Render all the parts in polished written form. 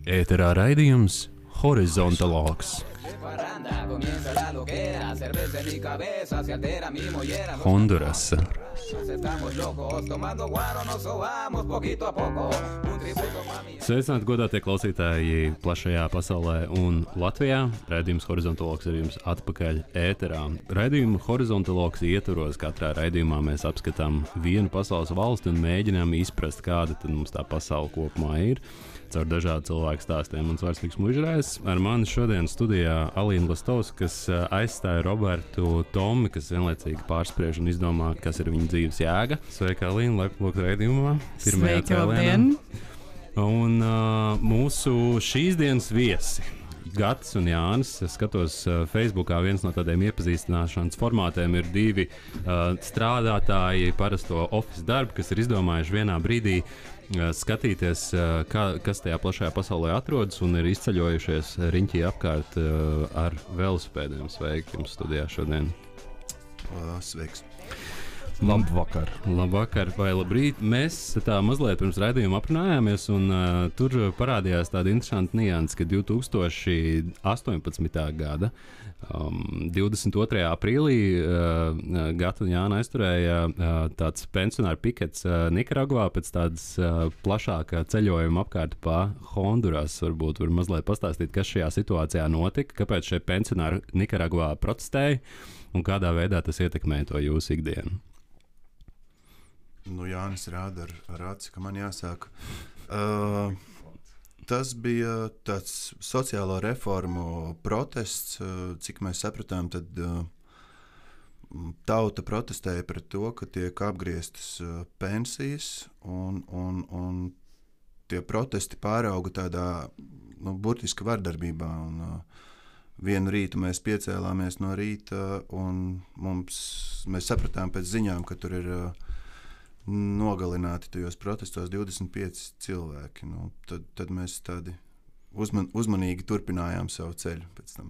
Ēterā raidījums Horizontālogs. Hondurasa. Sveicināti godātie klausītāji plašajā pasaulē un Latvijā. Raidījums Horizontālogs ir jums atpakaļ ēterā. Raidījumu Horizontālogs ietvaros katrā raidījumā mēs apskatām vienu pasaules valsti un mēģinām izprast, kāda tad mums tā pasaule kopumā ir. Caur dažādu cilvēku stāstiem un Svarstīgs Mužrājs. Ar mani šodien studijā Alīna Lastovs, kas aizstāja Robertu Tomi, kas vienlaicīgi pārspriež un izdomā, kas ir viņa dzīves jēga. Sveika, Alīna, laipni lūgt raidījumā. Sveika, labdien! Un mūsu šīs dienas viesi. Gatis un Jānis. Es skatos Facebookā, viens no tādiem iepazīstināšanas formātiem ir divi strādātāji parasto office darbu, kas ir izdomājuši vienā brīdī skatīties, kas tajā plašajā pasaulē atrodas un ir izceļojušies riņķī apkārt ar velosipēdiem. Sveiki jums studijā šodien. Sveiks. Labvakar. Labvakar vai labrīt. Mēs tā mazliet pirms raidījuma aprunājāmies un tur parādījās tāda interesanta nianse, ka 2018. gada 22. aprīlī Gata un Jāna aizturēja tāds pensionāru pikets Nikaragvā pēc tādas plašāka ceļojuma apkārt pa Honduras. Varbūt var mazliet pastāstīt, kas šajā situācijā notika, kāpēc šie pensionāri Nikaragvā protestēja un kādā veidā tas ietekmē to jūsu ikdienu. Nu, Jānis rāda ar aci, ka man jāsāk. Tas bija tāds sociālo reformu protests, cik mēs sapratām, tad tauta protestēja pret to, ka tiek apgrieztas pensijas, un tie protesti pārauga tādā burtiski vardarbībā. Vienu rītu mēs piecēlāmies no rīta, un mēs sapratām pēc ziņām, ka tur ir nogalināti tajos protestos 25 cilvēki. Tad mēs tādi uzmanīgi turpinājām savu ceļu pēc tam.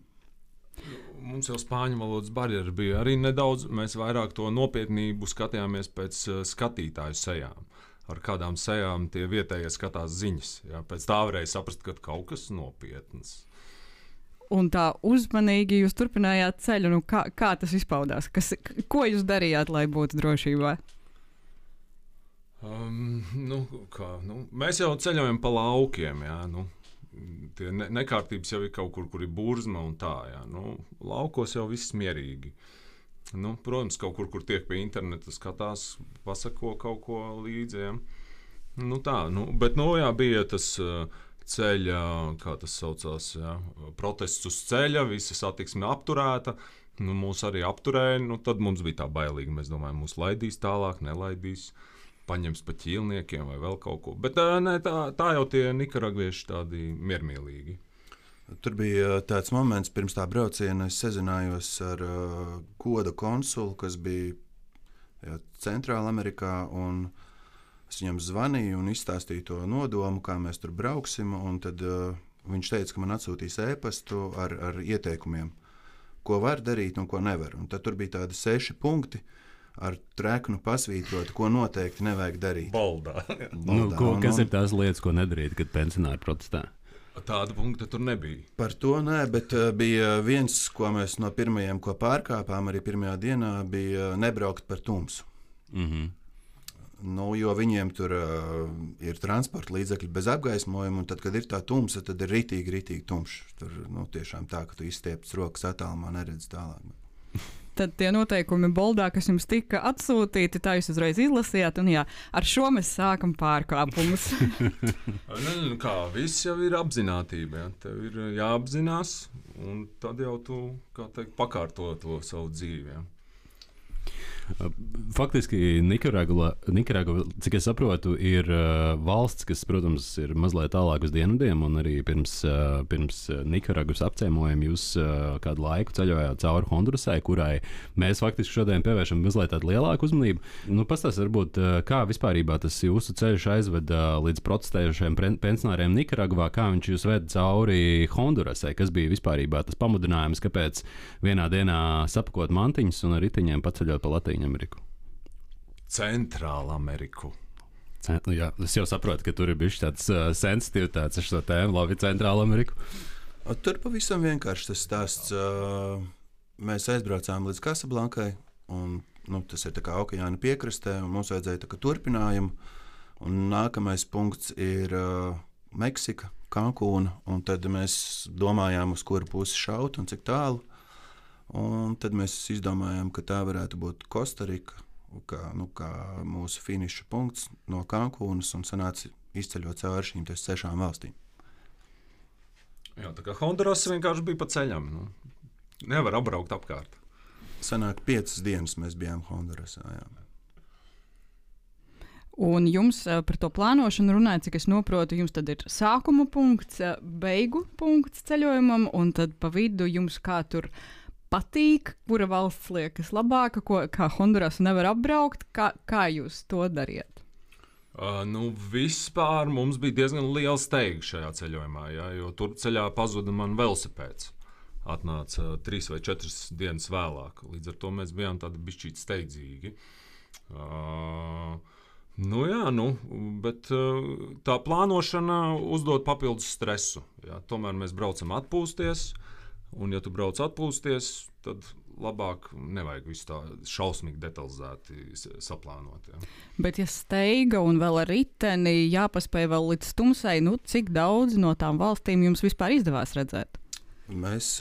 Mums jau spāņu valodas barjera bija arī nedaudz. Mēs vairāk to nopietnību skatījāmies pēc skatītāju sejām. Ar kādām sejām tie vietējie skatās ziņas. Jā. Pēc tā varēja saprast, ka kaut kas nopietns. Un tā uzmanīgi jūs turpinājāt ceļu. Kā tas izpaudās? Ko jūs darījāt, lai būtu drošībā? Mēs jau ceļojam pa laukiem. Jā, tie nekārtības jau ir kaut kur ir burzma un tā. Jā, laukos jau viss mierīgi. Protams, kaut kur tiek pie interneta skatās, pasako kaut ko līdzi. Jā. Bet bija tas ceļa, kā tas saucās, jā, protests uz ceļa, visa satiksme apturēta. Mūs arī apturēja, tad mums bija tā bailīgi. Mēs domājam, mūs laidīs tālāk, nelaidīs. Paņems pa ķīlniekiem vai vēl kaut ko. Bet tā jau tie nikaragvieši tādi miermīlīgi. Tur bija tāds moments, pirms tā brauciena es sazinājos ar goda konsulu, kas bija Centrāla Amerikā, un es viņam zvanīju un izstāstīju to nodomu, kā mēs tur brauksim, un tad viņš teica, ka man atsūtīs ēpastu ar ieteikumiem, ko var darīt un ko nevar. Un tad tur bija tādi 6 punkti, ar treknu pasvītrot, ko noteikti nevajag darīt. Boldā. Kas ir tās lietas, ko nedarīt, kad pensionāri protestē? Tāda punkta tur nebija. Par to nē, bet bija viens, ko mēs no pirmajiem, ko pārkāpām arī pirmajā dienā, bija nebraukt par tumsu. Jo viņiem tur ir transporta līdzekļi bez apgaismojuma, un tad, kad ir tā tumsa, tad ir ritīgi tumšs. Tur tiešām tā, ka tu izstiepts rokas attālumā, neredz tālāk. Tad tie noteikumi boldā, kas jums tika atsūtīti, tā jūs uzreiz izlasījāt, un jā, ar šo mēs sākam pārkāpumus. Viss jau ir apzinātība, jā. Tev ir jāapzinās, un tad jau tu, pakārto to savu dzīvi, jā. Faktiski Nikaragva, cik es saprotu, ir valsts, kas, protams, ir mazliet tālāk uz dienvidiem, un arī pirms Nikaragvas apciemojuma jūs kādu laiku ceļojāt cauri Hondurasai, kurai mēs faktiski šodien pievēršam mazliet tādu lielāku uzmanību. Pastāstiet, varbūt, kā vispārībā tas jūsu ceļš aizveda līdz protestējušiem pensionāriem Nikaragvā, kā viņš jūs ved cauri Hondurasai, kas bija vispārībā tas pamudinājums, kāpēc vienā dienā sapakot mantiņus un ar riteņiem paceļot pa Latīņu Ameriku? Centrāla Ameriku. Jā, es jau saprotu, ka tur ir bijis tāds sensitivitāts ar šo tēmu, labi, Centrāla Ameriku. Tur pavisam vienkārši tas stāsts. Mēs aizbraucām līdz Kasablankai, un tas ir tā kā okeāna piekrastē, un mums vajadzēja tā kā turpinājumu. Un nākamais punkts ir Meksika, Kankūna, un tad mēs domājām, uz kuru pusi šaut un cik tālu. Un tad mēs izdomājām, ka tā varētu būt Kostarika, kā mūsu finiša punkts no Kankūnas, un sanāca izceļot cauri šīm 6 valstīm. Jā, tā kā Honduras vienkārši bija pa ceļam. Nevar apbraukt apkārt. Sanāk 5 dienas mēs bijām Hondurasā. Jā. Un jums par to plānošanu runājot, cik es saprotu, jums tad ir sākuma punkts, beigu punkts ceļojumam, un tad pa vidu jums kā tur patīk, kura valsts liekas labāka, kā Hondurasu nevar apbraukt, kā jūs to dariet? Vispār mums bija diezgan liela steiga šajā ceļojumā, jo tur ceļā pazuda man velosipēds. Atnāca 3 vai 4 dienas vēlāk. Līdz ar to mēs bijām tādi bišķīt steidzīgi. Bet tā plānošana uzdod papildus stresu. Jā. Tomēr mēs braucam atpūsties, un ja tu brauc atpūsties, tad labāk nevajag visu tā šausmīgi detalizēti saplānot. Jā. Bet ja steiga un vēl ar riteni jāpaspēj vēl līdz tumsai, cik daudz no tām valstīm jums vispār izdevās redzēt? Mēs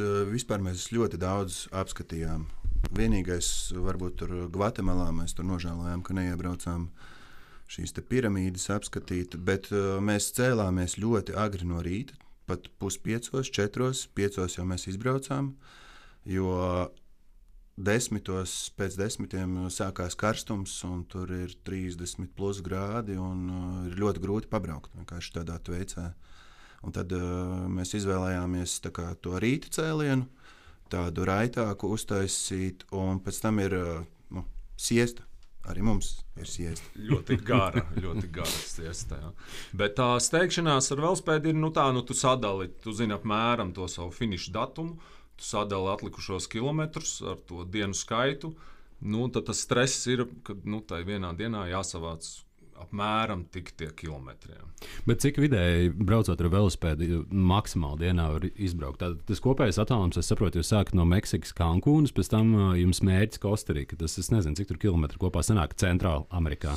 ļoti daudz apskatījām. Vienīgais, varbūt tur Gvatemalā mēs tur nožēlojām, ka neiebraucām šīs te piramīdas apskatīt, bet mēs cēlāmies ļoti agri no rīta, pat 4:30, 5:00 jau mēs izbraucām, jo 10, pēc 10 sākās karstums, un tur ir 30+ grādi, un ir ļoti grūti pabraukt vienkārši tādā veicā. Un tad mēs izvēlējāmies to rīta cēlienu, tādu raitāku uztaisīt, un pēc tam ir siesta. Arī mums ir siesta. Ļoti gara siesta. Jā. Bet tā steigšanās ar velospēdu ir, tu sadali, tu zini apmēram to savu finišu datumu, tu sadali atlikušos kilometrus ar to dienu skaitu, tad tas stress ir, ka tai vienā dienā jāsavāc apmēram tik tie kilometri. Jā. Bet cik vidēji braucot ar velospēdu maksimāli dienā var izbraukt? Tas kopējais attālums, es saprotu, jūs sākat no Meksikas, Kankūnas, pēc tam jums mērķis Kostarika. Tas, es nezinu, cik tur kilometri kopā sanāk Centrāla Amerikā.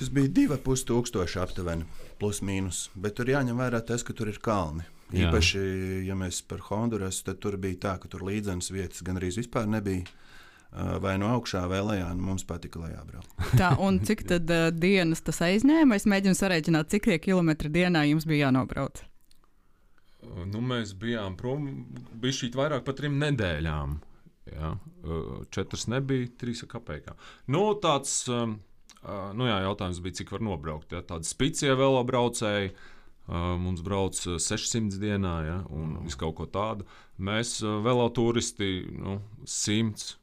Tas bija 2500 aptuveni, plus mīnus, bet tur jāņem vērā tas, ka tur ir kalni. Jā. Īpaši, ja mēs par Hondurasu, tad tur bija tā, ka tur līdzenas vietas gan arī vispār nebija. Vai no augšā vai lejā, mums patika lejā braukt. Tā, un cik tad dienas tas aizņēma? Es mēģinu sarēķināt, cik tie kilometri dienā jums bija jānobrauc. Mēs bijām prom bišķīt vairāk par 3 nedēļām. Jā. 4 nebija, 3 kapekā. Tāds jautājums bija, cik var nobraukt. Jā. Tādi spicie velobraucēji, mums brauc 600 dienā, ja, un visu kaut ko tādu. Mēs veloturisti 100.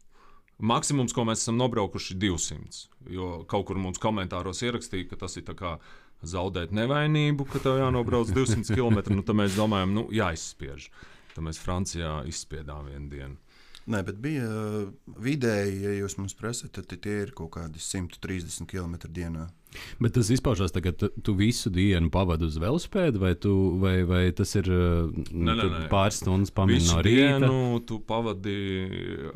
Maksimums, ko mēs esam nobraukuši, 200. Jo kaut kur mums komentāros ierakstīja, ka tas ir tā kā zaudēt nevainību, ka tev jānobrauc 200 km. Tad mēs domājam, jāizspiež. Tad mēs Francijā izspiedām vienu dienu. Nē, bet bija vidēji, ja jūs mums prasat, tad tie ir kaut kādi 130 km dienā. Bet tas izpaužās tā, ka tu visu dienu pavadi uz velospēdu, vai tas ir pāris stundas pamēģināt no rīta? Visu dienu tu pavadi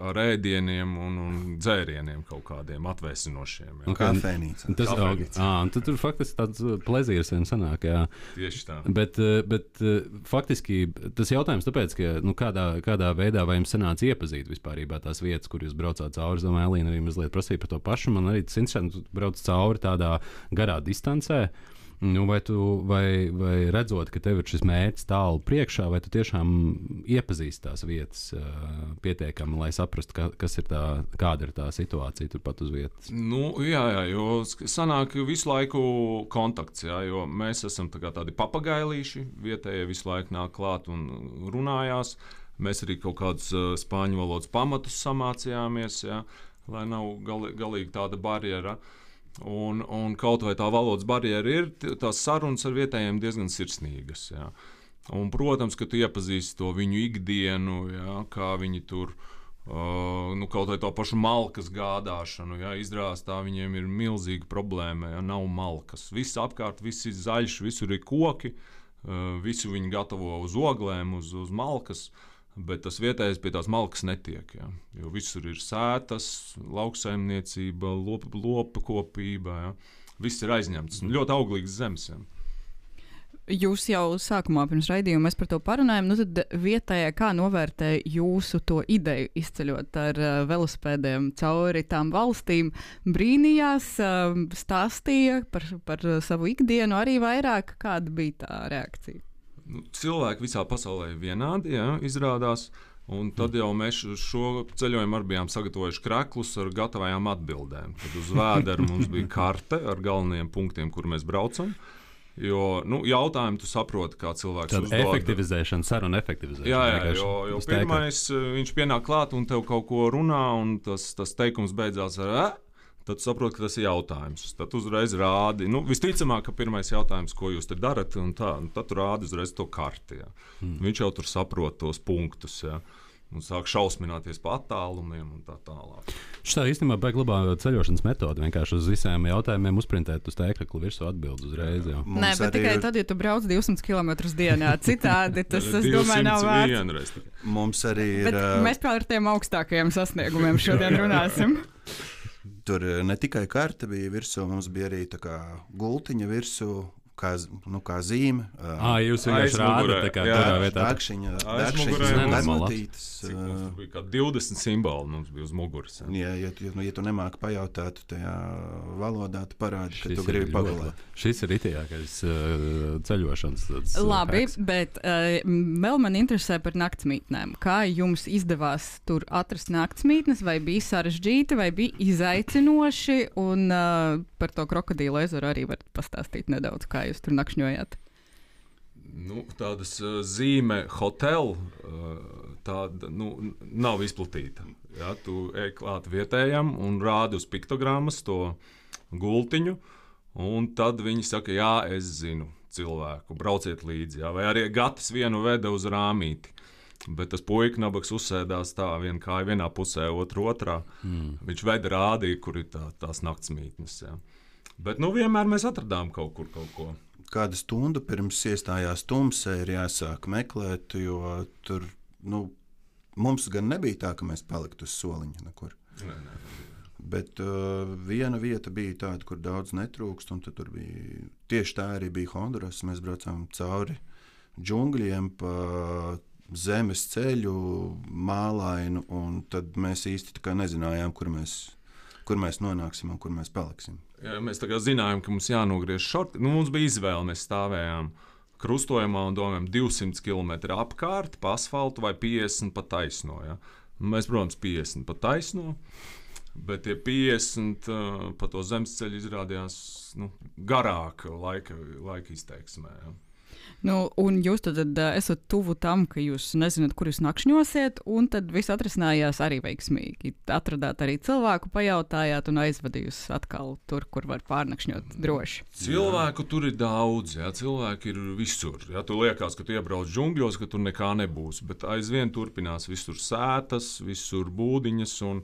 ar ēdieniem un dzērieniem kaut kādiem atvēsinošiem. Un kafejnīca. Tad tur faktiski tāds plezīrs vien sanāk, jā. Tieši tā. Bet faktiski tas jautājums tāpēc, ka kādā veidā vai jums sanāca iepazīt vispārībā tās vietas, kur jūs braucāt cauri, es domāju, Elīna arī mazliet prasīja par to pašu, man arī tas interesanti, tu brauc cauri tādā garā distancē, vai redzot, ka tev ir šis mērķis tālu priekšā, vai tu tiešām iepazīsti tās vietas pietiekami, lai saprastu, kāda ir tā situācija turpat uz vietas? Jā, jo sanāk visu laiku kontakts, jā, jo mēs esam tādi papagailīši, vietējie visu laiku nāk klāt un runājās. Mēs arī kaut kādus spāņu valodas pamatus samācījāmies, jā, lai nav galīgi tāda barjera. Un kaut vai tā valodas barjera ir, tās sarunas ar vietējiem diezgan sirsnīgas. Jā. Un, protams, ka tu iepazīsti to viņu ikdienu, jā, kā viņi tur Kaut vai to pašu malkas gādāšanu. Ja, izrādās, tā viņiem ir milzīga problēma, ja nav malkas. Viss apkārt, viss ir zaļš, visur ir koki, visu viņi gatavo uz oglēm, uz malkas, bet tas vietējais pie tās malkas netiek. Ja, jo visur ir sētas, lauksaimniecība, lopa kopība. Ja. Viss ir aizņemts. Ļoti auglīgs zemes. Ja. Jūs jau sākumā pirms raidījuma mēs par to parunājām, tad vietējā kā novērtē jūsu to ideju izceļot ar velosipēdiem cauri tām valstīm, brīnījās, stāstīja par savu ikdienu arī vairāk, kāda bija tā reakcija? Cilvēki visā pasaulē ir vienādi, ja, izrādās, un tad jau mēs šo ceļojumu arī bijām sagatavojuši kreklus ar gatavajām atbildēm. Tad uz vēdera mums bija karte ar galvenajiem punktiem, kur mēs braucam. Jo jautājumu tu saproti, kā cilvēks uzdod. Tāda efektivizēšana, saruna efektivizēšana. Jā, jo pirmais viņš pienāk klāt un tev kaut ko runā, un tas teikums beidzās ar tad saproti, ka tas ir jautājums. Tad uzreiz rādi. Visticamāk, ka pirmais jautājums, ko jūs te darat, un tad tu rādi uzreiz to karti. Ja. Viņš jau tur saprot tos punktus. Ja. Un sāk šausmināties pa attālumiem un tā tālāk. Šī īstenībā baigi labā ceļošanas metode. Vienkārši uz visiem jautājumiem uzprintēt uz tēkrakla virsū atbildi uzreiz. Jau. Nē, bet tikai tad, ja tu brauc 200 km dienā. Citādi tas, es domāju, nav vērts. Mums arī ir... Mēs par tiem augstākajiem sasniegumiem šodien runāsim. Tur ne tikai karte bija virsū, mums bija arī tā kā gultiņa virsū. Kā zīme. Jūs vienkārši rādat, kā tādā vietā. Dakšiņa, nenormatītas. Mums bija kā 20 simboli mums bija uz muguras. Ja tu nemāki pajautāt tajā valodā, tu parādi, ka tu gribi pagulēt. Šis ir itajākais ceļošanas. Labi, bet vēl man interesē par naktsmītnēm. Kā jums izdevās tur atrast naktsmītnes, vai bija sarežģīti, vai bija izaicinoši, un par to krokodīlu ezeru arī varat pastāstīt nedaudz, kā jūs tur nakšņojāt? Tādas zīme hotelu tāda nav izplatīta. Ja, tu ej klāt vietējam un rādi uz piktogrammas to gultiņu, un tad viņi saka, jā, es zinu cilvēku, brauciet līdzi. Ja, vai arī gatis vienu veda uz rāmīti. Bet tas puika nabaks uzsēdās tā, viena kāja vienā pusē, otru otrā. Viņš veda rādīja, kur ir tās naktsmītnes. Ja. Bet vienmēr mēs atradām kaut ko. Kādu stundu pirms iestājās tumsē ir jāsāk meklēt, jo tur mums gan nebija tā, ka mēs paliktu uz soliņa nekur. Nē. Bet viena vieta bija tāda, kur daudz netrūkst, un tur bija tieši tā arī bija Honduras. Mēs braucām cauri džungļiem pa zemes ceļu, mālainu, un tad mēs īsti nezinājām, kur mēs nonāksim un kur mēs paliksim. Ja, mēs zinājām, ka mums jānogriež šorti. Mums bija izvēle, mēs stāvējām krustojumā un domājām 200 km apkārt pa asfaltu vai 50 pa taisno. Ja. Mēs, protams, 50 pa taisno, bet tie 50 pa to zemes ceļu izrādījās garāk laika izteiksmē. Ja. Un jūs tad esat tuvu tam, ka jūs nezināt, kur jūs nakšņosiet, un tad viss atrisinājās arī veiksmīgi. Atradāt arī cilvēku, pajautājāt un aizvadījus atkal tur, kur var pārnakšņot droši. Cilvēku tur ir daudz, ja, cilvēki ir visur. Ja, tu liekas, ka tu iebrauc džungļos, ka tur nekā nebūs, bet aizvien turpinās visur sētas, visur būdiņas un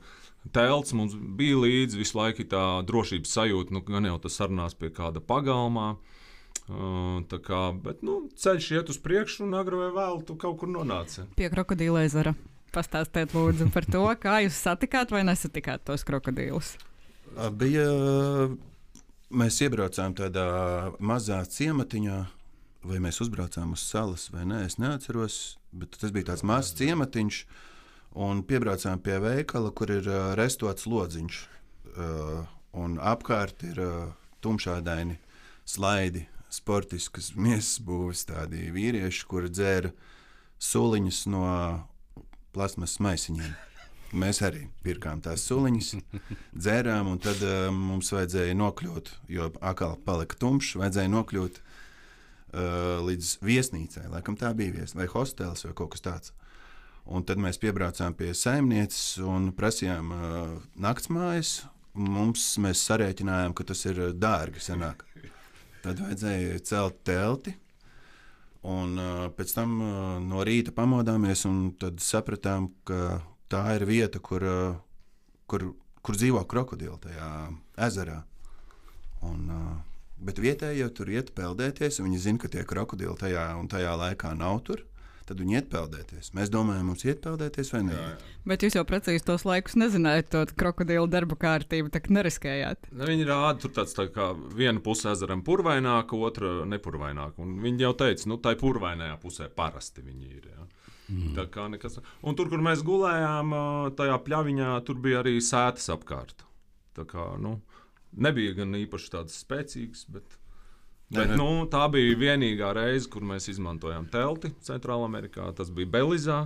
telts. Mums bija līdzi visu laiku tā drošības sajūta, gan jau tas sarunās pie kāda pagalmā. Bet ceļš iet uz priekšu, un agri vai vēlu tu kaut kur nonāci. Pie krokodīla ezera. Pastāstiet lūdzu par to, kā jūs satikāt vai nesatikāt tos krokodīlus. Mēs iebraucām tādā mazā ciematiņā, vai mēs uzbraucām uz salas vai nē, es neatceros, bet tas bija tāds mazs ciematiņš, un piebraucām pie veikala, kur ir restots lodziņš, un apkārt ir tumšādaini slaidi, sportiskas miesas būvis tādi vīrieši, kuri dzēra suliņus no plasmas maisiņiem. Mēs arī pirkām tās suliņas, dzērām, un tad mums vajadzēja nokļūt, jo atkal palika tumšs, vajadzēja nokļūt līdz viesnīcai. Laikam tā bija viesnīca, vai hostels, vai kaut kas tāds. Un tad mēs piebraucām pie saimnieces un prasījām naktsmājas. Mēs sarēķinājām, ka tas ir dārgi sanāk. Tad vajadzēja celt telti, un pēc tam no rīta pamodāmies, un tad sapratām, ka tā ir vieta, kur dzīvo krokodili tajā ezerā. Bet vietēji jau tur iet peldēties, un viņi zina, ka tie krokodili tajā laikā nav tur. Tad viņi iet peldēties. Mēs domājam, mums iet peldēties vai nē. Bet jūs jau precīzi tos laikus nezinājāt, to krokodilu darba kārtību, tā kā neriskējāt. Viņi rāda, tur tāds tā kā viena puse ezeram purvaināka, otra nepurvaināka. Un viņi jau teica, tai purvainajā pusē parasti viņi ir. Ja. Tā kā nekas. Un tur, kur mēs gulējām, tajā pļaviņā, tur bija arī sētas apkārt. Tā kā, nebija gan īpaši tādas spēcīgas, bet tā bija vienīgā reize, kur mēs izmantojām telti Centrālamerikā. Tas bija Belizā,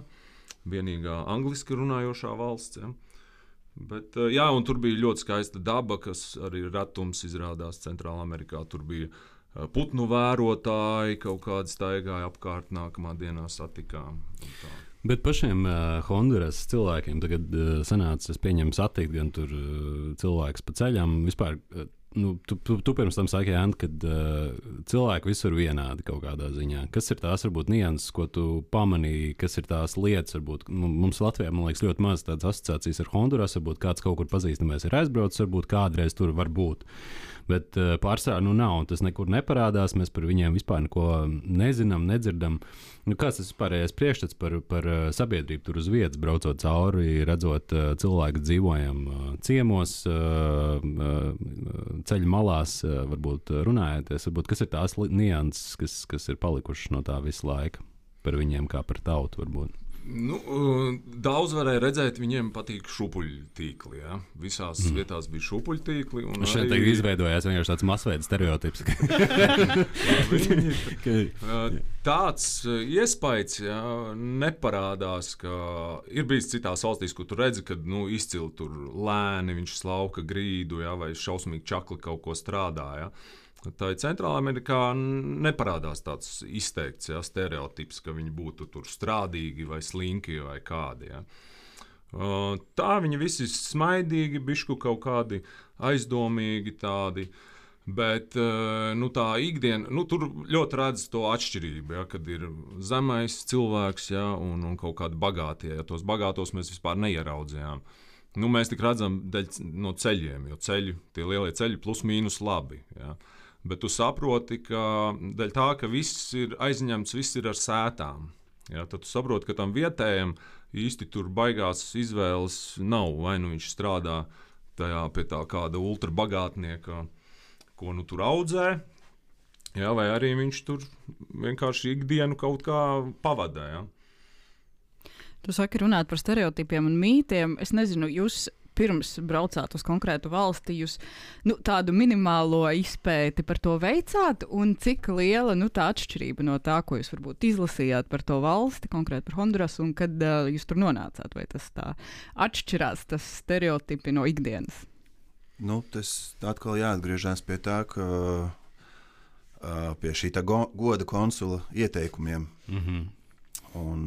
vienīgā angliski runājošā valsts. Ja. Bet, un tur bija ļoti skaista daba, kas arī retums izrādās Centrālamerikā. Tur bija putnu vērotāji, kaut kādi staigāja apkārt, nākamā dienā satikām. Bet pašiem Honduras cilvēkiem tagad sanāca, es pieņemu, satikt gan tur cilvēkus pa ceļam. Vispār, tu pirms tam saki, Ant, kad cilvēki visur vienādi kaut kādā ziņā. Kas ir tās, varbūt, nianses, ko tu pamanīji, kas ir tās lietas, varbūt, mums Latvijā, man liekas, ļoti maz tādas asociācijas ar Honduras, varbūt kāds kaut kur pazīstamais ir aizbraucis, varbūt kādreiz tur var būt. Bet pārsvarā nav, tas nekur neparādās, mēs par viņiem vispār neko nezinām, nedzirdam. Kāds tas vispārējais priekšstats par sabiedrību tur uz vietas, braucot cauri, redzot cilvēku dzīvojam ciemos, ceļu malās, varbūt runājoties, kas ir tās nianses, kas ir palikušas no tā visu laiku par viņiem kā par tautu varbūt? Daudz varēja redzēt, viņiem patīk šupuļtīkli. Ja? Visās vietās bija šupuļtīkli. Šeit arī izveidojās vienkārši tāds masveida stereotips. Tāds iespējas neparādās, ka ir bijis citās valstīs, kur tu redzi, ka izcili tur lēni, viņš slauka grīdu, vai šausmīgi čakli kaut ko strādā. Ja? Tā ir Centrālamerikā neparādās tāds izteikts stereotips, ka viņi būtu tur strādīgi vai slinki vai kādi. Ja. Tā viņi visi smaidīgi, bišku kaut kādi aizdomīgi tādi, bet tā ikdiena, tur ļoti redz to atšķirību, ja, kad ir zemais cilvēks un kaut kādi bagātie. Ja, tos bagātos mēs vispār neieraudzījām. Mēs tik redzam no ceļiem, jo tie lielie ceļi plus mīnus labi. Ja. Bet tu saproti, ka dēļ tā, ka viss ir aizņemts, viss ir ar sētām. Ja, tad tu saproti, ka tam vietējam īsti tur baigās izvēles nav. Vai viņš strādā pie tā kāda ultrabagātnieka, ko tur audzē, vai arī viņš tur vienkārši ikdienu kaut kā pavadē. Ja. Tu saki runāt par stereotipiem un mītiem. Es nezinu, jūs pirms braucāt uz konkrētu valsti, jūs tādu minimālo izpēti par to veicāt, un cik liela tā atšķirība no tā, ko jūs varbūt izlasījāt par to valsti, konkrēti par Honduras, un kad jūs tur nonācāt, vai tas tā atšķirās, tas stereotipi no ikdienas? Tas atkal jāatgriežas pie tā, ka pie šī goda konsula ieteikumiem. Un,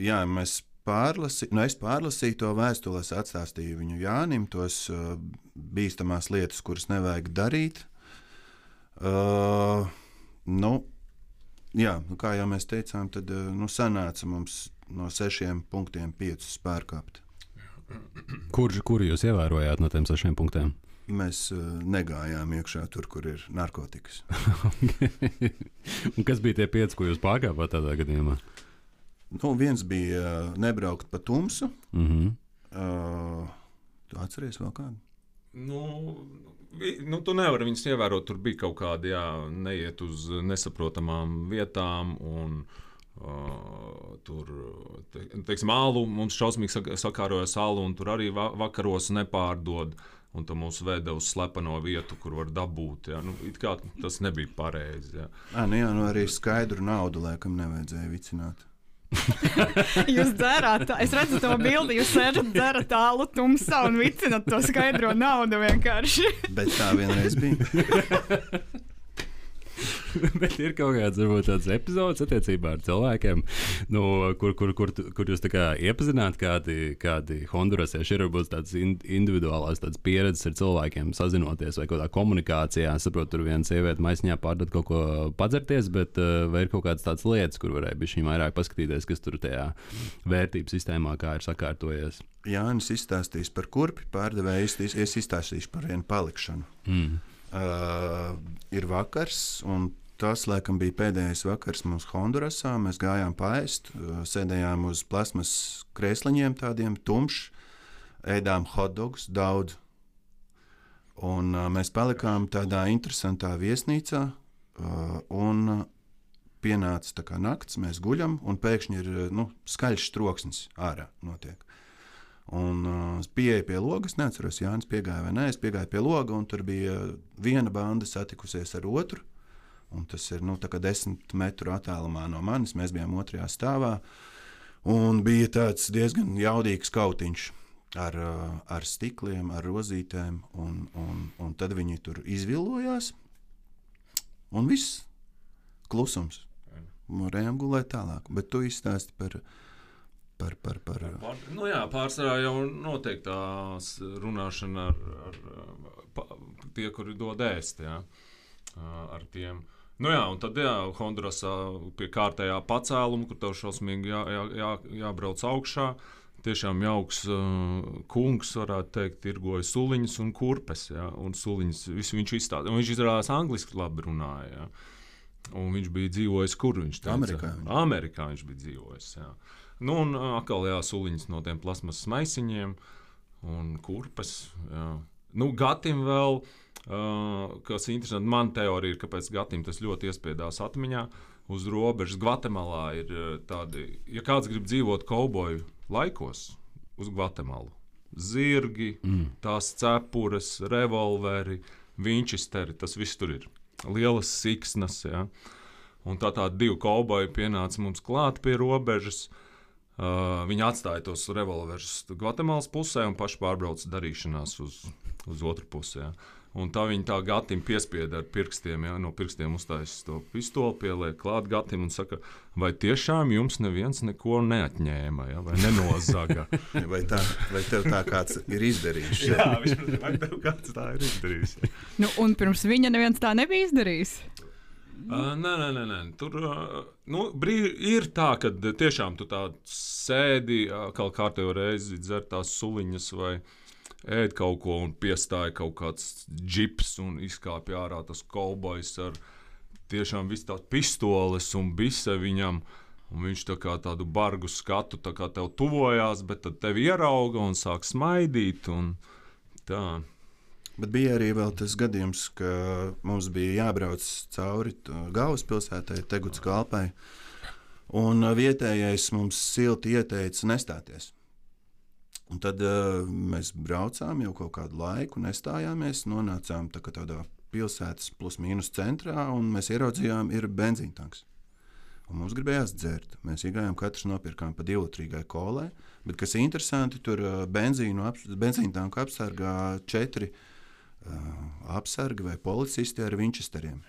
mēs es pārlasīju to vēstuli, es atstāstīju viņu Jānim, tos bīstamās lietas, kuras nevajag darīt. Kā jau mēs teicām, tad sanāca mums no 6 punktiem 5 pārkāpt. Kuru jūs ievērojāt no tiem 6 punktiem? Mēs negājām iekšā tur, kur ir narkotikas. Un kas bija tie 5, ko jūs pārkāpāt tādā gadījumā? Viens bija nebraukt pa tumsu. Tu atceries vēl kādu? Tu nevari viņus ievērot. Tur bija kaut kādi, neiet uz nesaprotamām vietām. Un, tur, teiksim, alu, mums šausmīgi sakārojas alu, un tur arī vakaros nepārdod. Un tu mūs veda uz slepeno vietu, kur var dabūt. Ja. It kā tas nebija pareizi. Ja. Arī skaidru naudu laikam nevajadzēja vicināt. Jūs dzērāt, es redzu to bildi, jūs sēžat, dzerat tālu tumsā un vicinat to skaidro naudu vienkārši. Bet tā vienreiz bija. Bet ir kaut kāds, varbūt tāds epizods attiecībā ar cilvēkiem, kur jūs tā kā iepazināt, kādi hondurasieši ir, varbūt tāds individuālās tāds pieredzes ar cilvēkiem sazinoties vai kaut kā komunikācijā. Es saprotu, tur viena sieviete maisiņā pārdod kaut ko padzerties, bet vai ir kaut kādas tādas lietas, kur varēja bišķiņ vairāk paskatīties, kas tur tajā vērtības sistēmā kā ir sakārtojies? Jānis izstāstīs par kurpi pārdevēju, es izstāstīšu par vienu palikšanu. Ir vakars, un tas, laikam, bija pēdējais vakars mums Hondurasā. Mēs gājām paēst, sēdējām uz plasmas krēsliņiem tādiem tumšs, ēdām hotdogus daudz. Un mēs palikām tādā interesantā viesnīcā, un pienāca tā kā nakts, mēs guļam, un pēkšņi ir skaļš troksnis ārā notiek. Un es pieeju pie logas, neatceros, Jānis piegāja vai nē, es piegāju pie loga, un tur bija viena banda satikusies ar otru, un tas ir tā kā 10 metru attālumā no manis, mēs bijām 2. stāvā, un bija tāds diezgan jaudīgs kautiņš ar stikliem, ar rozītēm, un tad viņi tur izvilojās, un viss klusums. Varējām gulēt tālāk, bet tu izstāsti par Pārsvarā jau notiek tās runāšana ar tie, kuri dod ēst, ar tiem. Un tad Hondurasā pie kārtējā pacēluma, kur tev šausmīgi jābrauc augšā, tiešām jauks kungs, varētu teikt, tirgoja suliņas un kurpes, un suliņas, viņš izstāda. Un viņš izrādās angliski labi runāja, un viņš bija dzīvojis, kur viņš teica? Amerikā viņš bija dzīvojis, un atkal suliņas no tiem plasmas maisiņiem un kurpes. Gatim vēl, kas interesanti, man teorija ir, kāpēc Gatim tas ļoti iespiedās atmiņā, uz robežas Gvatemalā ir tādi, ja kāds grib dzīvot kauboju laikos uz Gvatemalu, zirgi, tās cepures, revolveri, vinčisteri, tas viss tur ir. Lielas siksnas, un tādi 2 kauboji pienāca mums klāt pie robežas. Viņi atstāja tos revolverus Gvatemalas pusē un paši pārbrauca darīšanās uz otru pusi. Un tā viņi tā Gatim piespieda ar pirkstiem, no pirkstiem uztaisīs to pistoli, pieliek klāt Gatim un saka, vai tiešām jums neviens neko neatņēma, vai nenozaga? vai tev tā kāds ir izdarījis? Vai tev kāds tā ir izdarījis? Un pirms viņa neviens tā nebija izdarījis? Nē. Tur ir tā, ka tiešām tu tā sēdi, kā kārtējo reizi dzer tās suliņas vai ēd kaut ko un piestāja kaut kāds džips un izkāpja ārā tas kaubojs ar tiešām visu tās pistoles un bise viņam. Un viņš tā kā tādu bargu skatu, tā kā tev tuvojās, bet tad tevi ierauga un sāk smaidīt un tā. Bet bija arī vēl tas gadījums, ka mums bija jābrauc cauri galvaspilsētai, Teguts Kalpai, un vietējais mums silti ieteica nestāties. Un tad mēs braucām jau kaut kādu laiku, nestājāmies, nonācām tādā pilsētas plus mīnus centrā, un mēs ieraudzījām, ir benzīntanks. Un mums gribējās dzert. Mēs iegājām, katrs nopirkām pa 2-litrīgai kolai, bet kas interesanti, tur benzīntanku apsargā 4 apsargi vai policisti ar vinčesteriem.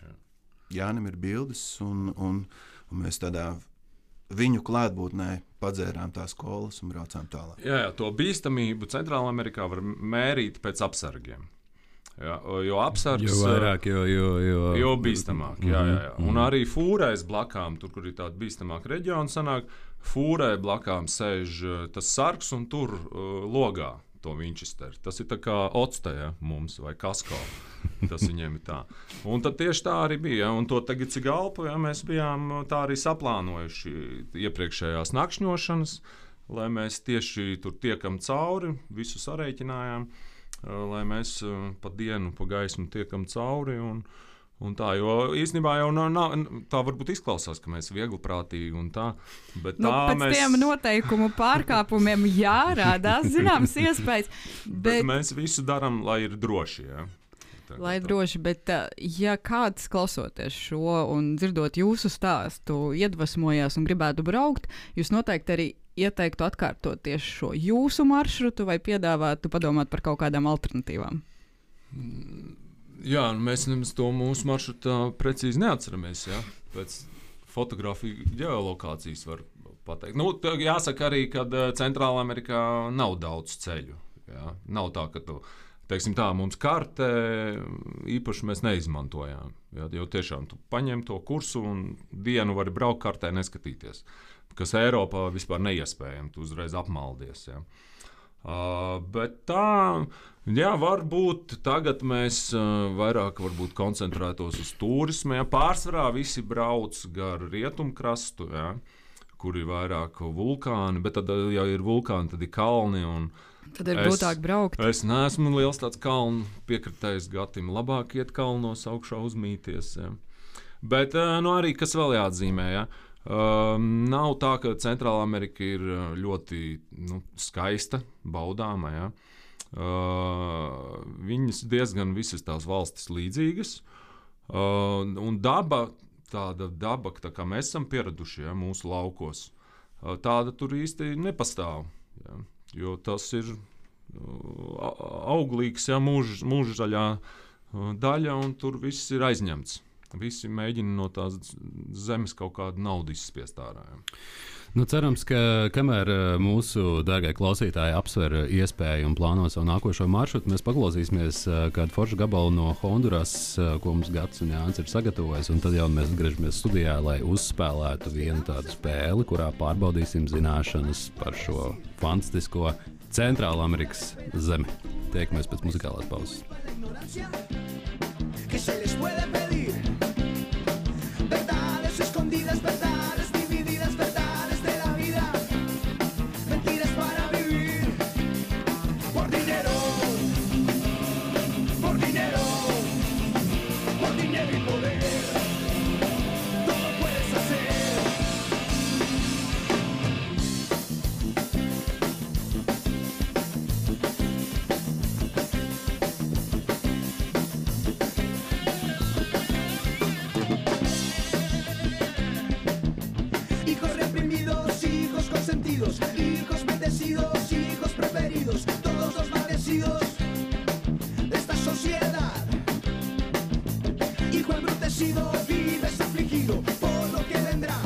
Jānim ir bildes, un mēs tādā viņu klātbūtnē padzērām tās kolas un braucām tālāk. To bīstamību Centrālā Amerikā var mērīt pēc apsargiem. Jo apsargs jo vairāk, jo bīstamāk. Un arī fūrais blakām, tur, kur ir tāda bīstamāka reģiona, sanāk, fūrai blakām sēž tas sargs un tur logā to Winchester. Tas ir tā kā octa mums vai kasko. Tas viņiem ir tā. Un tad tieši tā arī bija. Un to tagad Cigalpu mēs bijām tā arī saplānojuši iepriekšējās nakšņošanas, lai mēs tieši tur tiekam cauri, visu sarēķinājām, lai mēs pa dienu, pa gaismu tiekam cauri. Un tā, jo īstenībā jau nav, tā varbūt izklausās, ka mēs viegliprātīgi un tā, bet tā pēc tiem noteikumu pārkāpumiem jārādās zināmas iespējas. Bet mēs visu darām, lai ir droši, Lai droši, bet ja kāds klausoties šo un dzirdot jūsu stāstu, iedvesmojās un gribētu braukt, jūs noteikti arī ieteiktu atkārtot tieši šo jūsu maršrutu vai piedāvātu padomāt par kaut kādām alternatīvām? Jā, mēs to mūsu maršrutu precīzi neatceramies. Ja? Pēc fotografiju ģeolokācijas var pateikt. Nu, jāsaka arī, ka Centrālā Amerikā nav daudz ceļu. Ja? Nav tā, ka teiksim tā, mums kartē īpaši mēs neizmantojām. Ja? Jo tiešām tu paņem to kursu un dienu vari braukt kartē neskatīties. Kas Eiropā vispār neiespējami, tu uzreiz apmaldies. Ja? Bet tā, jā, varbūt tagad mēs vairāk koncentrētos uz turismu. Ja? Pārsvarā visi brauc gar rietumkrastu, ja? Kur ir vairāk vulkāni, bet tad, ja ir vulkāni, tad ir kalni. Tad ir grūtāk braukt. Es neesmu liels tāds kalnu piekritējs gatim. Labāk iet kalnos augšā uzmīties. Ja? Bet arī, kas vēl jāatzīmē, ja? Nav tā, ka Centrālā Amerika ir ļoti skaista, baudāma. Ja? Viņas diezgan visas tās valstis līdzīgas. Un tāda daba, tā kā mēs esam pieraduši, ja, mūsu laukos, tāda tur īsti nepastāv. Ja? Jo tas ir auglīgs, ja, mūžzaļā daļa, un tur viss ir aizņemts. Visi mēģina no tās zemes kaut kādu naudu izspiest ārā. Ja. Nu, cerams, ka kamēr mūsu dārgie klausītāji apsver iespēju un plāno savu nākošo maršrutu, mēs paklausīsimies kādu foršu gabalu no Honduras, ko mums Gats un Jānis ir sagatavojis. Un tad jau mēs atgriežamies studijā, lai uzspēlētu vienu tādu spēli, kurā pārbaudīsim zināšanas par šo fantastisko Centrālā Amerikas zemi. Tiekamies pēc muzikālās pauzes. Hijos bendecidos, hijos preferidos, todos los maldecidos de esta sociedad. Hijo embrutecido, vives afligido por lo que vendrá.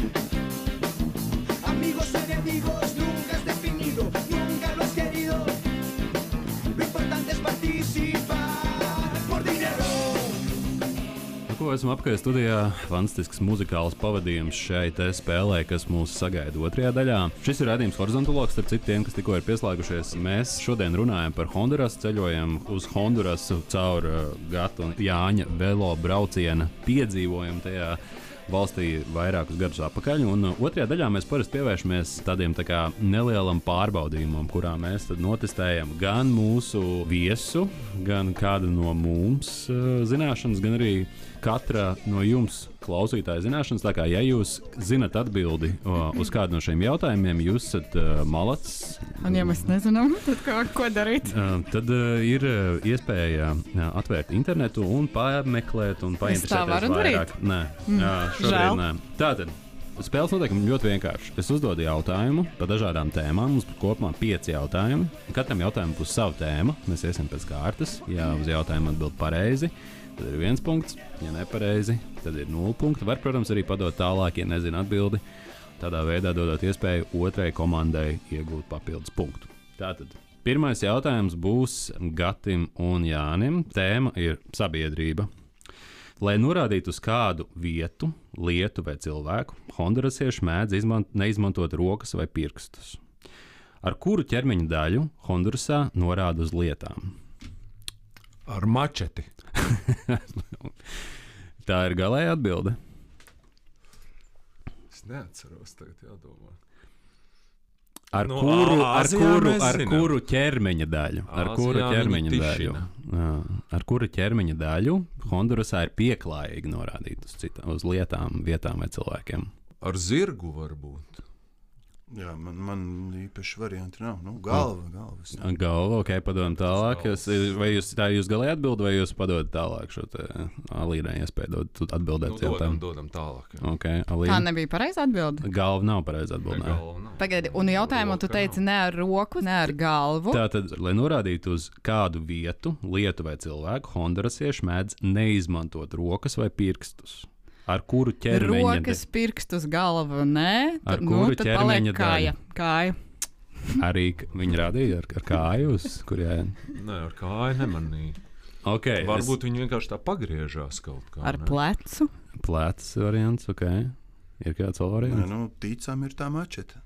Amigos, enemigos, nunca has definido, nunca lo has querido. Lo importante es participar por dinero. Ko esam apkārt studijā, fantastisks muzikāls pavadījums šai spēlē, kas mūs sagaida otrajā daļā. Šis ir raidījums Horizontologs, starp citiem, kas tikko ir pieslēgušies. Mēs šodien runājam par Honduras, ceļojam uz Hondurasu caur Gata un Jāņa velo brauciena piedzīvojumu tajā valstī vairākus gadus atpakaļ. Un otrajā daļā mēs parasti pievēršamies tādiem tā kā nelielam pārbaudījumam, kurā mēs tad notestējam gan mūsu viesu, gan kādu no mums zināšanas, gan arī katra no jums klausītāja zināšanas. Tā kā, ja jūs zinat atbildi uz kādu no šiem jautājumiem, jūs esat malacis. Un ja mēs nezinām, tad ko darīt? Tad ir iespēja atvērt internetu un pameklēt un painteresēties vairāk. Nē, šobrīd nē. Tātad, spēles noteikumi ļoti vienkārši. Es uzdodu jautājumu par dažādām tēmām. Mums kopumā 5 jautājumi. Katram jautājumam būs sava tēma. Mēs iesim pēc kārtas. Ja uz jautājumu atbild pareizi, tad ir 1 punkts. Ja nepareizi, tad ir 0 punkti. Var, protams, arī padot tālāk, ja nezina atbildi. Tādā veidā dodot iespēju otrai komandai iegūt papildus punktu. Tātad, pirmais jautājums būs Gatim un Jānim. Tēma ir sabiedrība. Lai norādītu uz kādu vietu, lietu vai cilvēku, hondurasieši mēdz neizmantot rokas vai pirkstus. Ar kuru ķermeņa daļu Hondurasā norāda uz lietām? Ar mačeti. Tā ir galēja atbilde. Es neatceros, tagad jādomā. Ar kuru ķermeņa daļu? Ar kuru ķermeņa daļu Hondurasā ir pieklājīgi norādīt uz lietām, vietām vai cilvēkiem? Ar zirgu varbūt. Jā, man īpaši varianti nav. Nu, galvas. Galva, ok, padodam tālāk. Vai jūs galēji atbildat, vai jūs padodat tālāk šo te Alīnai iespēju atbildēt? Dodam tālāk. Jā. Okay, Alīna. Tā nebija pareiza atbilde. Galva nav pareiza atbilde. Pagaidi, un jautājumu tu teici ne ar roku, ne ar galvu. Tātad, lai norādītu uz kādu vietu, lietu vai cilvēku, hondurasieši mēdz neizmantot rokas vai pirkstus. Ar kuru ķermeņa rokas, pirkstus, galva, nē. Ar kuru ķermeņa kāja. Arī viņi rādīja ar kāju, uz kuriem? Nē, ar kāju nemanīja. Okay, varbūt viņi vienkārši tā pagriežās kaut kā. Ar plecu? Plecs variants, ok. Ir kāds vēl variants? Nu, ticam ir tā mačeta.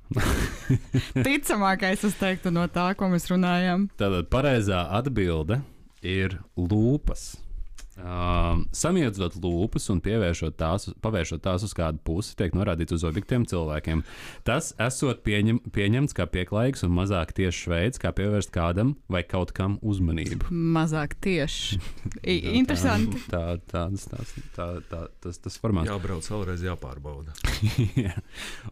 Ticamākais, es teiktu, no tā, ko mēs runājam. Tātad pareizā atbilde ir lūpas. Samiedzot lūpas un pavēršot tās uz kādu pusi, tiek norādīts uz objektiem cilvēkiem. Tas esot pieņemts kā pieklājīgs un mazāk tiešs veids, kā pievērst kādam vai kaut kam uzmanību. Mazāk tieši. Interesanti. Tas formāts. Jābrauc vēlreiz jāpārbauda.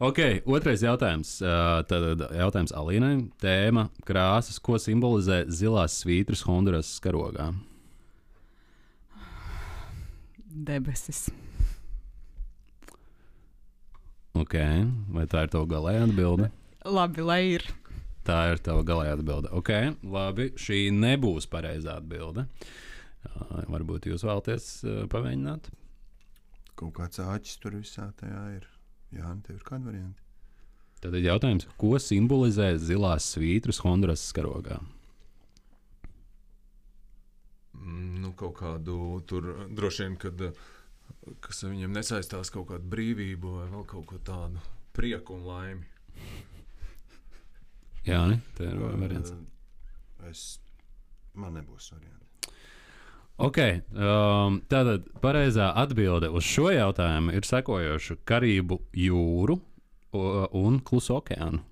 Ok, otrais jautājums. Tad jautājums Alīnai. Tēma krāsas, ko simbolizē zilās svītras Honduras karogā? Debesis. Ok, vai tā ir tava galējā atbilde? Labi, lai ir. Tā ir tava galējā atbilde. Ok, labi, šī nebūs pareizā atbilde. Varbūt jūs vēlaties pamēģināt? Kaut kāds āķis tur visā tajā ir. Jā, tev ir kāda varianta? Tad ir jautājums, ko simbolizē zilās svītras Honduras karogā? Nu, kaut kādu tur droši vien, kas viņiem nesaistās kaut kādu brīvību vai vēl kaut ko tādu prieku un laimi. Jā, ne? Tā ir variants. Man nebūs varianti. Ok, tātad pareizā atbilde uz šo jautājumu ir sekojoša: Karību jūru un Klusu okeānu.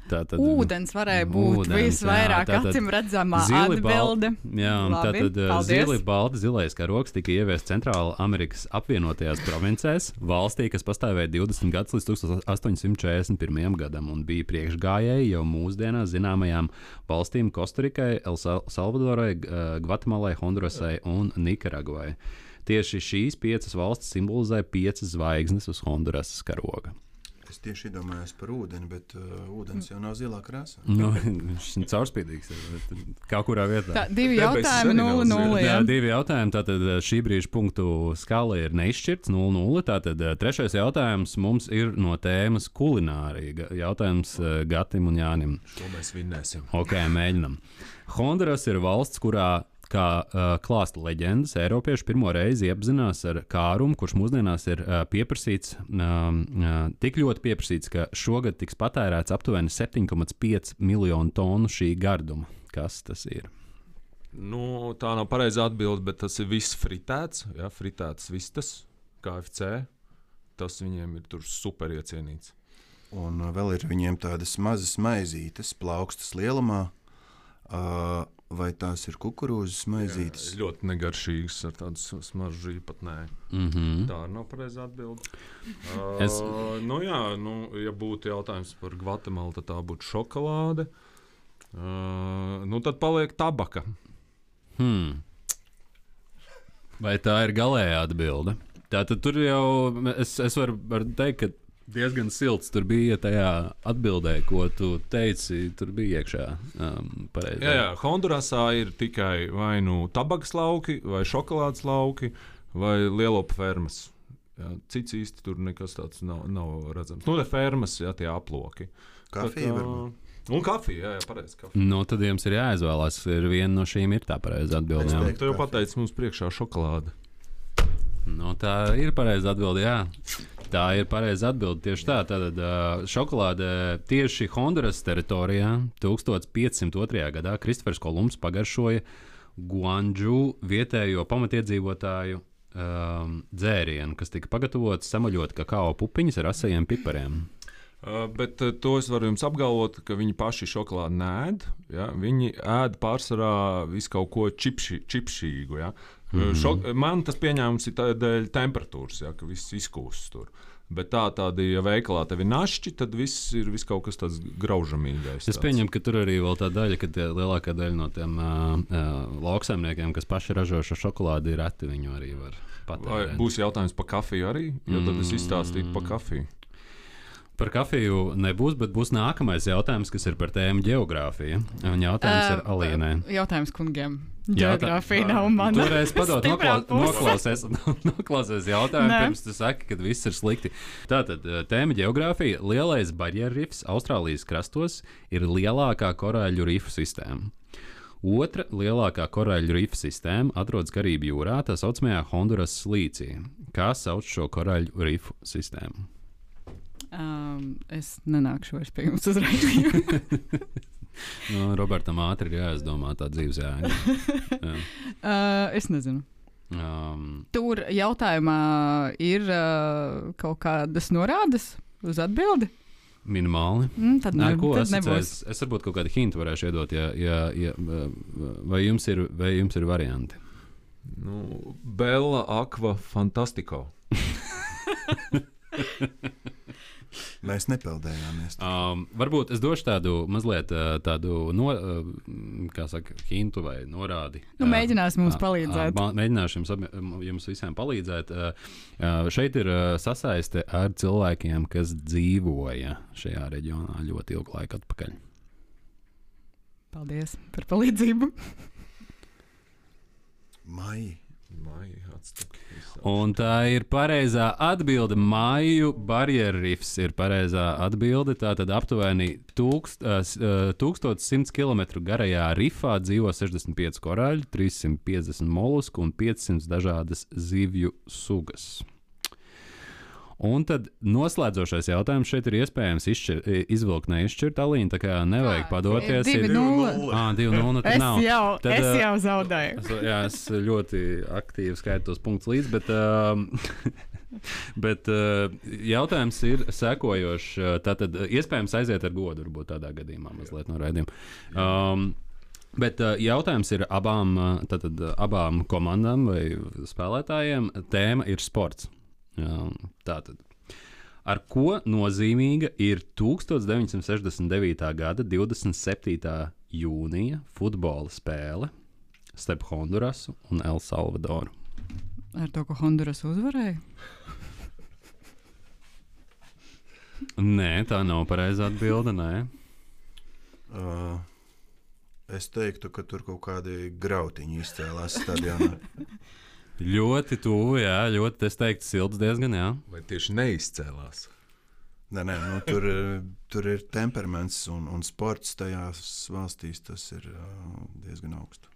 Tātad, ūdens varēja būt visvairāk acīm redzamā atbilde. Tātad zilais karogs tika ieviests Centrāla Amerikas Apvienotajās provincēs, valstī, kas pastāvēja 20 gadus līdz 1841. gadam un bija priekšgājēji jau mūsdienās zināmajām valstīm Kostarikai, El Salvadorai, Gvatemalai, Hondurasai un Nikaragvai. Tieši šīs 5 valstis simbolizē 5 zvaigznes uz Hondurasas karoga. Es tieši iedomājos par ūdeni, bet ūdens jau nav zilā krāsā. Nu, viņš ir caurspīdīgs. Kā kurā vietā? Tā, 2 jautājumi, 0-0. Jā, 2 jautājumi. Tātad šī brīža punktu skala ir neizšķirts 0-0. Tātad trešais jautājums mums ir no tēmas kulinārija. Jautājums Gatim un Jānim. Šo mēs vinnēsim. Ok, mēģinam. Honduras ir valsts, kurā kā klāsta leģendas, Eiropieši pirmo reizi iepazinās ar kārumu, kurš mūsdienās ir pieprasīts, tik ļoti pieprasīts, ka šogad tiks patērēts aptuveni 7,5 miljonu tonu šī garduma. Kas tas ir? Nu, tā nav pareizā atbilde, bet tas ir viss fritēts, jā, fritēts vistas, KFC. Tas viņiem ir tur super iecienīts. Un vēl ir viņiem tādas mazas maizītes, plaukstas lielumā. Vai tās ir kukurūzas maizītes? Jā, ļoti negaršīgas ar tādu smaržu īpatnēju. Tā nav pareizā atbilde. Ja būtu jautājums par Gvatemalu, tad tā būtu šokolāde. Tad paliek tabaka. Vai tā ir galējā atbilde? Tātad tur jau es varu teikt, ka diezgan silts tur bija tajā atbildē, ko tu teici, tur bija iekšā pareizi. Jā, Hondurasā ir tikai vai nu tabakas lauki, vai šokolādes lauki, vai lielopu fermas. Jā, cits īsti tur nekas tāds nav redzams. Nu, fermas, jā, tie aploki. Kafija varbūt. Un kafija, jā, pareizi kafija. Nu, tad jums ir jāizvēlās, viena no šīm ir tā pareiza atbilde. Tu jau pateici mums priekšā šokolāde. Nu, tā ir pareiza atbilde, jā. Tā ir pareiza atbilde tieši tā. Tātad šokolāde tieši Honduras teritorijā 1502. gadā Kristofers Kolumbs pagaršoja guandžu vietējo pamatiedzīvotāju dzērienu, kas tika pagatavots samaļot kakao pupiņas ar asajiem pipariem. Bet to es varu jums apgalvot, ka viņi paši šokolādi nēd. Ja? Viņi ēd pārsvarā visu kaut ko čipšīgu. Ja? Man tas pieņēmums ir dēļ temperatūras, ja? Ka viss izkūst tur. Bet tādi, ja veikalā tev ir našķi, tad viss ir kaut kas tāds graužamīgais. Es pieņemu, ka tur arī vēl tā daļa, ka lielākā daļa no tiem lauksaimniekiem, kas paši ražo šo šokolādi, ir reti, viņu arī var patērēt. Vai būs jautājums par kafiju arī? Jo tad es izstāstītu par kafiju. Par kafiju nebūs, bet būs nākamais jautājums, kas ir par tēmu geogrāfija. Un jautājums ir Alīnai. Jautājums kungiem. Geogrāfija nav mana. Toreiz padod noklausies jautājumu, pirms tu saki, ka viss ir slikti. Tātad, tēma geogrāfija. Lielais barjerrifs Austrālijas krastos ir lielākā korāļu rifu sistēma. Otra lielākā korāļu rifu sistēma atrodas Karību jūrā, tā saucamajā Honduras slīcī. Kā sauc šo korāļu rifu sistēmu? Es nenākšu vairs pie jums uz raidījumu. Robertam ātri ir jāizdomā tā dzīves jēga. Es nezinu. Tur jautājumā ir kaut kādas norādes uz atbildi? Minimāli. Tad nebūs. Es varbūt kaut kādu hintu varēšu iedot, vai jums ir varianti? Bella Aqua Fantastico. Mēs nepeldējāmies. Varbūt es došu tādu mazliet hintu vai norādi. Mēģināsim mums palīdzēt. Mēģināšu jums visiem palīdzēt. Šeit ir sasaiste ar cilvēkiem, kas dzīvoja šajā reģionā ļoti ilgu laiku atpakaļ. Paldies par palīdzību. Maija. Un tā ir pareizā atbilde. Māju barjerrifs ir pareizā atbilde. Tātad aptuveni 1100 km garajā rifā dzīvo 65 korāļi, 350 molusku un 500 dažādas zivju sugas. Un tad noslēdzošais jautājums šeit ir iespējams izvilkt neizšķirt Alīnu, tā kā nevajag padoties. 2-0. 2-0 tad nav. Es jau zaudēju. Es ļoti aktīvi skaitu tos punktus līdz, bet jautājums ir sekojošs. Tātad iespējams aiziet ar godu, varbūt tādā gadījumā mazliet no raidījuma. Bet jautājums ir abām komandām vai spēlētājiem. Tēma ir sports. Tātad, ar ko nozīmīga ir 1969. gada 27. jūnija futbola spēle starp Hondurasu un El Salvadoru? Ar to, ka Honduras uzvarēja? Nē, tā nav pareizā atbilde. Es teiktu, ka tur kaut kādi grautiņi izcēlās stadionā. Ļoti tuvu, jā, ļoti, es teiktu, silts diezgan, jā. Vai tieši neizcēlās? Nē, tur ir temperaments un sports tajās valstīs, tas ir diezgan augstu.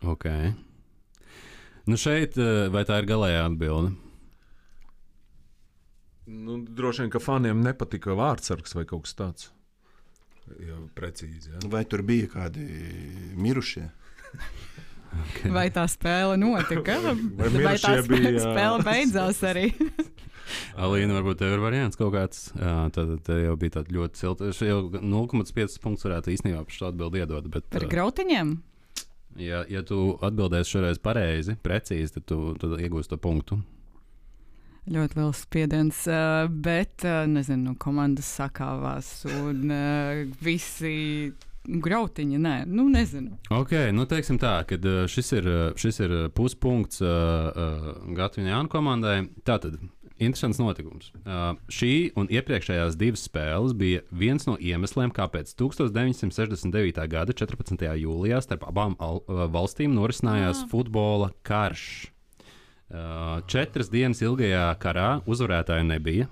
Ok. Šeit, vai tā ir galējā atbilde? Droši vien, ka faniem nepatika vārdsargs vai kaut kas tāds. Jā, precīzi, jā. Vai tur bija kādi mirušie? Okay. Vai tā spēle notika? Vai tā spēle beidzās arī? Alīna, varbūt tev ir variants kaut kāds. Tad jau bija tāds ļoti silts. Jau 0,5 punktus varētu īstenībā par šo atbildi iedot. Bet, par grautiņiem? Ja tu atbildēsi šoreiz pareizi, precīzi, tad tu iegūsi to punktu. Ļoti liels spiediens, bet, nezinu, komandas sakāvās un visi... Grautiņa, nē, nezinu. Ok, teiksim tā, ka šis ir puspunkts Gatu un Jānu komandai. Tātad, interesants notikums. Šī un iepriekšējās divas spēles bija viens no iemesliem, kāpēc 1969. gada 14. jūlijā starp abām valstīm norisinājās futbola karš. 4 dienas ilgajā karā uzvarētāja nebija,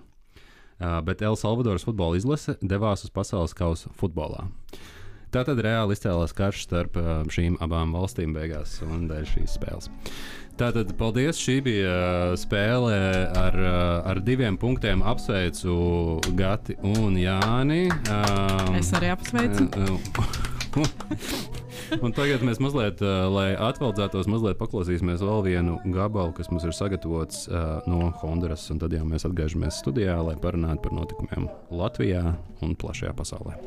bet El Salvadoras futbola izlase devās uz pasaules kausa futbolā. Tātad reāli izcēlās karš starp šīm abām valstīm beigās un dēļ šīs spēles. Tātad, paldies, šī bija spēle ar 2 punktiem. Apsveicu Gati un Jāni. Es arī apsveicu. Un tagad mēs mazliet, lai atveldzētos, mazliet paklausīsimies vēl vienu gabalu, kas mums ir sagatavots no Honduras, un tad jau mēs atgriežamies studijā, lai parunātu par notikumiem Latvijā un plašajā pasaulē.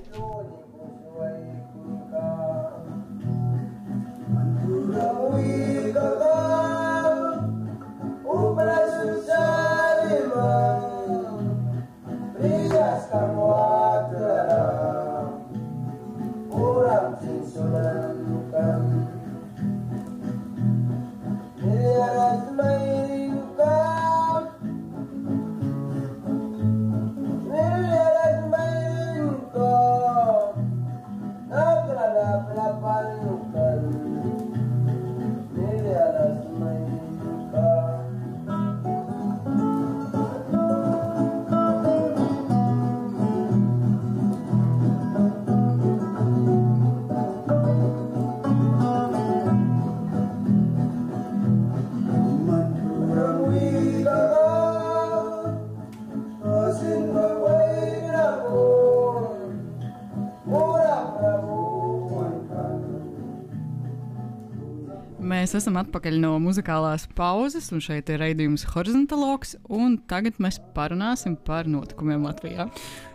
Mēs esam atpakaļ no muzikālās pauzes, un šeit ir raidījums Horizontalogs, un tagad mēs parunāsim par notikumiem Latvijā.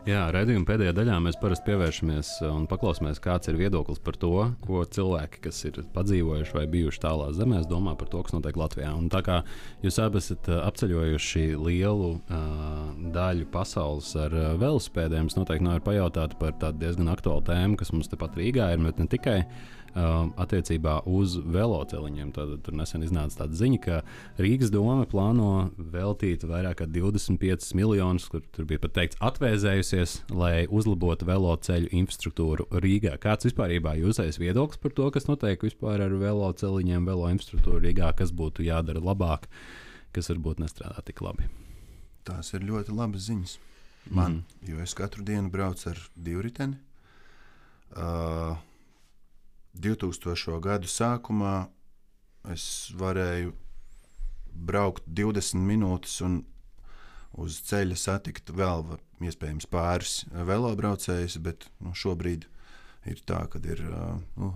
Jā, raidījuma pēdējā daļā mēs parasti pievēršamies un paklausāmies, kāds ir viedoklis par to, ko cilvēki, kas ir padzīvojuši vai bijuši tālās zemēs, domā par to, kas notiek Latvijā. Un tā kā jūs abi esat apceļojuši lielu daļu pasaules ar velosipēdiem, es noteikti nevaru pajautāt par tādu diezgan aktuālu tēmu, kas mums tepat Rīgā ir, bet ne tikai attiecībā uz veloceliņiem. Tad tur nesen iznāca tāda ziņa, ka Rīgas doma plāno veltīt vairāk kā 25 miljonus, kur tur bija pat teikts atvēzējusies, lai uzlabotu veloceļu infrastruktūru Rīgā. Kāds vispārībā jūsējais viedoklis par to, kas notiek vispār ar veloceliņiem, velo infrastruktūru Rīgā, kas būtu jādara labāk, kas varbūt nestrādā tik labi? Tās ir ļoti labas ziņas man, jo es katru dienu braucu ar divriteni. 2000. gadu sākumā es varēju braukt 20 minūtes un uz ceļa satikt vēl iespējams pāris velobraucējus, bet šobrīd ir tā, kad ir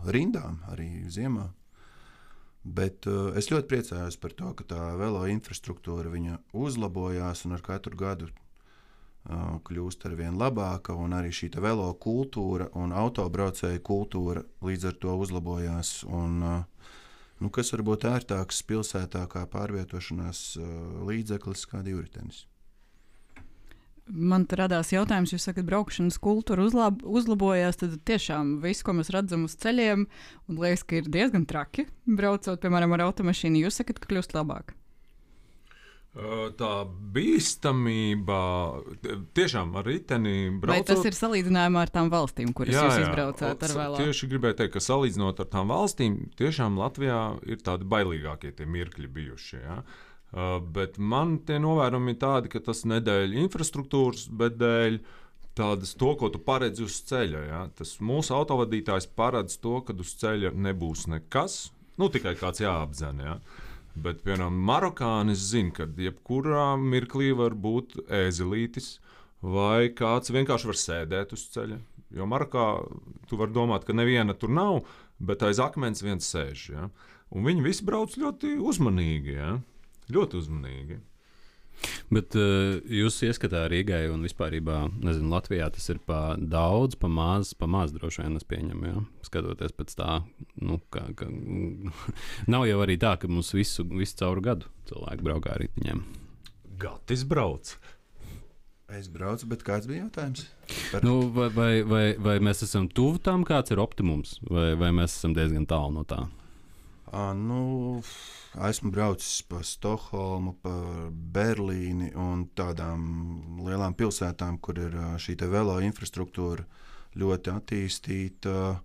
rindām arī ziemā. Bet es ļoti priecājos par to, ka tā velo infrastruktūra viņa uzlabojās un ar katru gadu kļūst ar vien labāka, un arī šī velo kultūra un autobraucēju kultūra līdz ar to uzlabojās. Un, kas var būt ērtāks pilsētā kā pārvietošanās līdzeklis kā divritenis? Man te radās jautājums, jūs sakat, braukšanas kultūra uzlabojās, tad tiešām viss, ko mēs redzam uz ceļiem, un liekas, ka ir diezgan traki braucot, piemēram, ar automašīnu, jūs sakat, ka kļūst labāk? Tā bīstamība tiešām ar riteni braucot. Vai tas ir salīdzinājumā ar tām valstīm, kuras jūs izbraucāt ar velo? Tieši gribēju teikt, ka salīdzinot ar tām valstīm, tiešām Latvijā ir tādi bailīgākie tie mirkļi bijuši. Ja? Bet man tie novērojumi ir tādi, ka tas nedēļ infrastruktūras, bet dēļ tādas to, ko tu paredzi uz ceļa. Ja? Tas mūsu autovadītājs paredz to, ka uz ceļa nebūs nekas, tikai kāds jāapdzen. Ja? Bet, piemēram, marokānis zina, ka jebkurā mirklī var būt ēzelītis vai kāds vienkārši var sēdēt uz ceļa. Jo Marokā tu vari domāt, ka neviena tur nav, bet aiz akmens viens sēž. Ja? Un viņi visi brauc ļoti uzmanīgi. Ja? Ļoti uzmanīgi. Bet jūs ieskatā Rīgai un vispārībā, nezinu, Latvijā tas ir pa daudz, pa maz droši vien es pieņemu, ja? Skatoties pēc tā, ka nav jau arī tā, ka mums visu cauru gadu cilvēki braukā ar riteņiem. Gatis brauc. Es braucu, bet kāds bija jautājums? Vai mēs esam tuvu tam, kāds ir optimums, vai mēs esam diezgan tālu no tā? Esmu braucis pa Stokholmu, pa Berlīni un tādām lielām pilsētām, kur ir šī velo infrastruktūra ļoti attīstīta.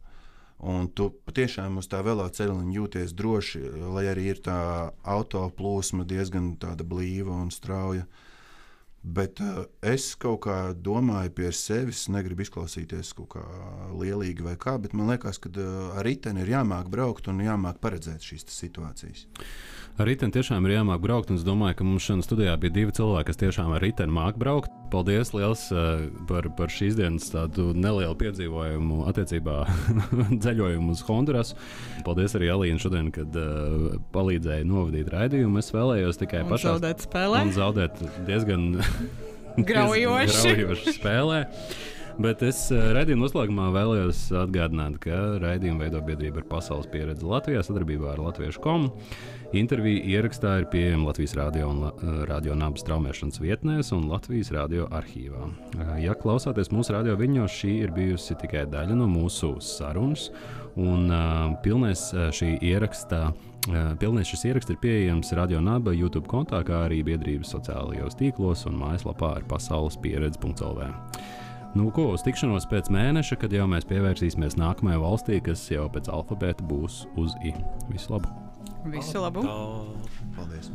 Un tu patiešām uz tā velo ceļa jūties droši, lai arī ir tā auto plūsma diezgan tāda blīva un strauja. Bet es kaut kā domāju pie sevis, negribu izklausīties kaut kā lielīgi vai kā, bet man liekas, ka ar riteni ir jāmāk braukt un jāmāk paredzēt šīs situācijas. Ar riteni tiešām ir jāmāk braukt, un es domāju, ka mums šodien studijā bija 2 cilvēki, kas tiešām ar riteni māk braukt. Paldies liels par šīs dienas tādu nelielu piedzīvojumu attiecībā ceļojumu uz Hondurasu. Paldies arī Alīna šodien, kad palīdzēja novadīt raidījumu. Es vēlējos tikai pašā zaudēt spēlē. Un zaudēt diezgan graujoši spēlē. Bet es raidījuma noslēgumā vēlējos atgādināt, ka raidījumu veido biedrība ar pasaules pieredzi Latvijā sadarbībā ar Latviešu.com. Intervija ierakstā ir pieejama Latvijas radio un Radio Nabas traumēšanas vietnēs un Latvijas radio arhīvā. Ja klausāties mūsu radio viļņos, šī ir bijusi tikai daļa no mūsu sarunas, un pilnais šis ieraksts ir pieejams Radio Naba YouTube kontā, kā arī biedrības sociālajos tīklos un mājaslapā ar pasaulespieredzi.lv. Uz tikšanos pēc mēneša, kad jau mēs pievērsīsimies nākamajai valstī, kas jau pēc alfabēta būs uz I. Visu labu! Visu labu! Paldies!